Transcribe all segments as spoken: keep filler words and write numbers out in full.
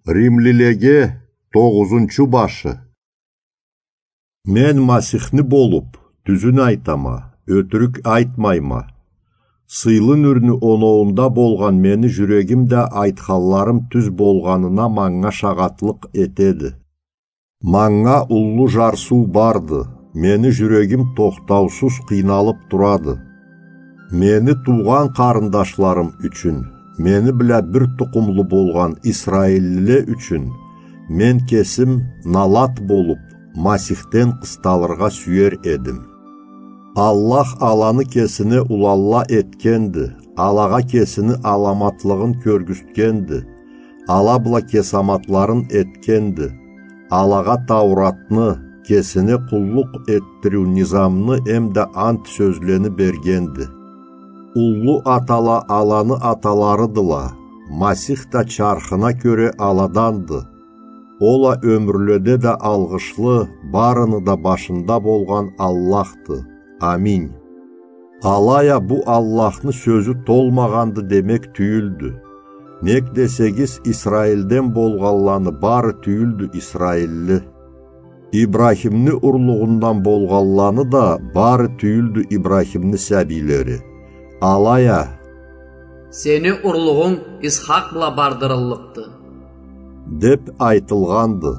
Римлилеге тогъузунчу башы. Мен Масихни болуп, тюзюн айтама, ётюрюк айтмайма. Сыйлы нюрню оноуунда болгъан мени жюрегим да айтханларым тюз болгъанына манга шагъатлыкъ этеди. Манга уллу жарсыу барды, мени жюрегим тохтаусуз къыйналып турады. Мени туугъан къарындашларым ючюн, мени бла бир тукъумлу болгъан исраиллиле ючюн, мен кесим налат болуп, Масихден къысталыргъа сюер эдим. Аллах аланы кесине уланла этгенди, алагъа кесини аламатлыгъын кёргюзтгенди, ала бла кесаматларын этгенди, алагъа Тауратны, кесине къуллукъ этдириу низамны эмда ант сёзлени бергенди. Уллу атала аланы аталарыдыла, Масих да чархына кёре аладанды. Ол а ёмюрледе да алгъышлы, барыны да башында болгъан Аллахды. Аминь. Алай а бу Аллахны сёзю толмагъанды демек тюйюлдю. Нек десегиз, Исраилден болгъанланы бары тюйюлдю исраилли. Ибрахимни урлугъундан болгъанланы да бары тюйюлдю Ибрахимни сабийлери. Алай а: «Сени урлугъунг Исхакъ бла бардырыллыкъды», — деп айтылгъанды.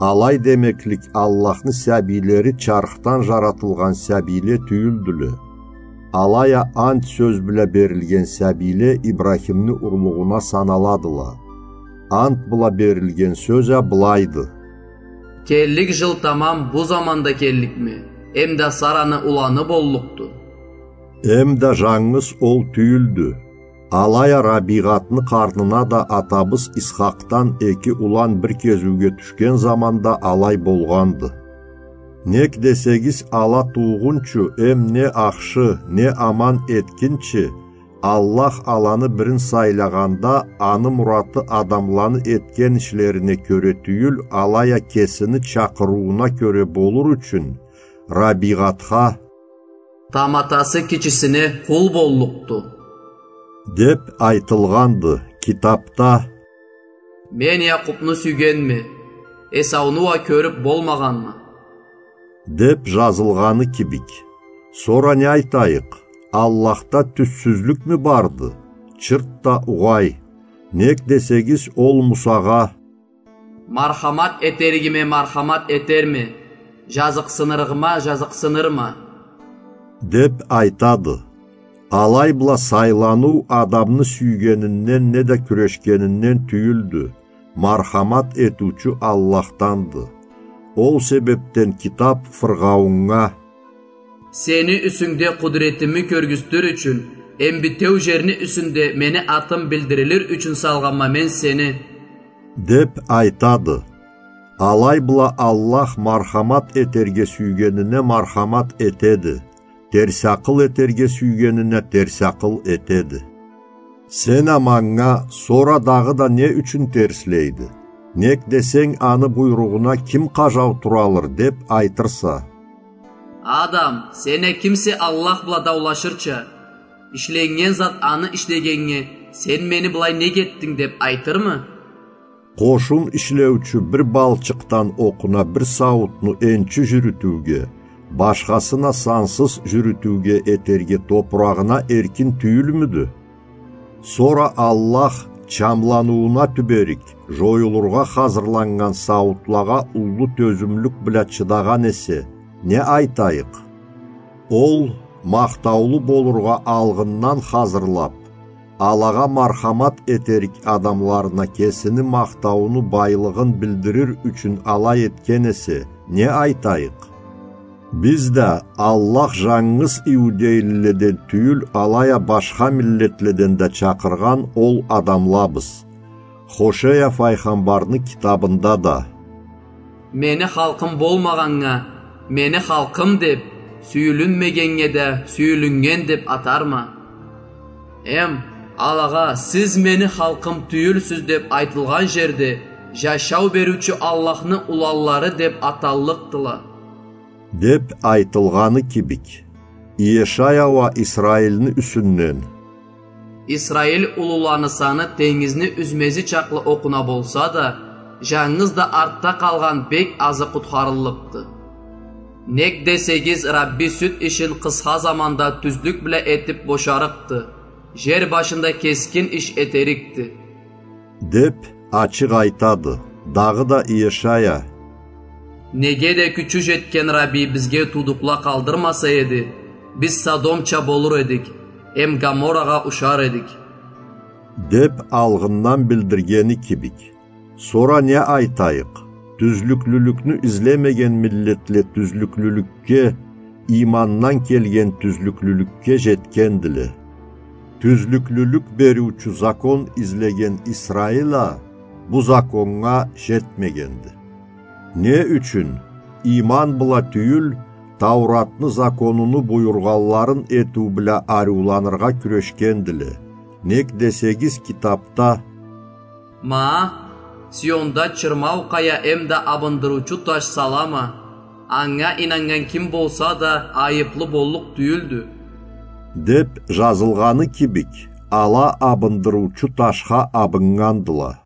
Алай демеклик, Аллахны сабийлери чархдан жаратылгъан сабийле тюйюлдюле. Алай а ант сёз бла берилген сабийле Ибрахимни урлугъуна саналадыла. Ант бла берилген сёз а былайды: «Келлик жыл тамам бу заманда келликме, эмда Сараны уланы боллукъду». Эмда жангыз ол тюйюлдю. Алай а Рабигъатны къарнына да атабыз Исхакъдан эки улан бир кезиуге тюшген заманда алай болгъанды. Нек десегиз, ала туугъунчу эм не ахшы, не аман этгинчи, Аллах аланы бирин сайлагъанда, аны мураты адамланы этген ишлерине кёре тюйюл, алай а кесини чакъырыууна кёре болур ючюн, Рабигъатха: «Таматасы кичисине къул боллукъду», — деп айтылгъанды китапда: «Мен Якъубну сюйгенме, Эсауну уа кёрюп болмагъанма», — деп жазылгъаны кибик. Сора не айтайыкъ? Аллахда тюзсюзлюкмю барды? Чырт да угъай. Нек десегиз, ол Мусагъа: «Мархамат этеригиме мархамат этерме, жазыкъсынырыгъыма жазыкъсынырма», — деп айтады. Алай бла сайланыу адамны сюйгенинден неда кюрешгенинден тюйюлдю, мархамат этиучю Аллахданды. Ол себепден китап Фыргъаууннга: «Сени юсюнгде къудуретими кёргюзтюр ючюн, эм битеу жерни юсюнде мени атым билдирилир ючюн салгъанма мен сени», — деп айтады. Алай бла Аллах мархамат этерге сюйгенине мархамат этеди, терс акъыл этерге сюйгенине терс акъыл этеди. Сен а манга: «Сора дагъыда не ючюн терслейди? Нек десенг, аны буйругъуна ким къажау туралыр?» — деп айтырса. «Адам, сен а кимсе Аллах бла даулашырча? Ишленнген зат аны ишлегеннге, сен мени былай нек этдинг деп айтырмы?» Къошун ишлеучю бир балчыкъдан окъуна бир сауутну энчи жюрютюуге, башхасын а сансыз жюрютюуге этерге топурагъына эркин тюйюлмюдю? Сора Аллах чамланыууна тюберик, жоюлургъа хазырланнган сауутлагъа уллу тёзюмлюк бла чыдагъан эсе, не айтайыкъ? Ол махтаулу болургъа алгъындан хазырлап, алагъа мархамат этерик адамларына кесини махтаууну байлыгъын билдирир ючюн алай этген эсе, не айтайыкъ? Биз да Аллах жангыз иудейлиледен тюйюл, алай а башха миллетледен да чакъыргъан ол адамлабыз. Хошея файгъамбарны китабында да: «Мени халкъым болмагъаннга мени халкъым деп, сюйюлюнмегеннге да сюйюлюннген деп атарма. Эм алагъа: сиз мени халкъым тюйюлсюз деп айтылгъан жерде, жашау бериучю Аллахны уланлары деп аталлыкъдыла», — деп айтылгъаны кибик. Иешая уа Исраилни юсюнден: «Исраил улуланы саны тенгизни юзмеси чакълы окъуна болса да, Жангыз да артда къалгъан бек азы къутхарыллыкъды. Нек десегиз, Рабби сюд ишин къысха заманда тюзлюк бла этиб бошарыкъды, жер башында кескин иш этерикди. Деб ачыкъ айтады. Дагъыда Иешая: Неге да кючю жетген Рабби бизге туудукъла къалдырмаса эди, биз Содомча болур эдик, эм Гоморрагъа ушар эдик. Деб алгъындан билдиргени кибик. Сора не айтайыкъ? Тюзлюклюлюкню излемеген миллетле тюзлюклюлюкге, иймандан келген тюзлюклюлюкге жетгендиле. Тюзлюклюлюк бериучю закон излеген Исраил а бу законнга жетмегенди. Не ючюн? Ийман бла тюйюл, Тауратны законуну буюргъанларын этиу бла ариуланыргъа кюрешгендиле. Нек десегиз, китабда: Ма, Сионда чырмау къая эмда абындырыучу таш салама, анга ийнаннган ким болса да айыблы боллукъ тюйюлдю, деб жазылгъаны кибик, ала абындырыучу ташха абыннгандыла.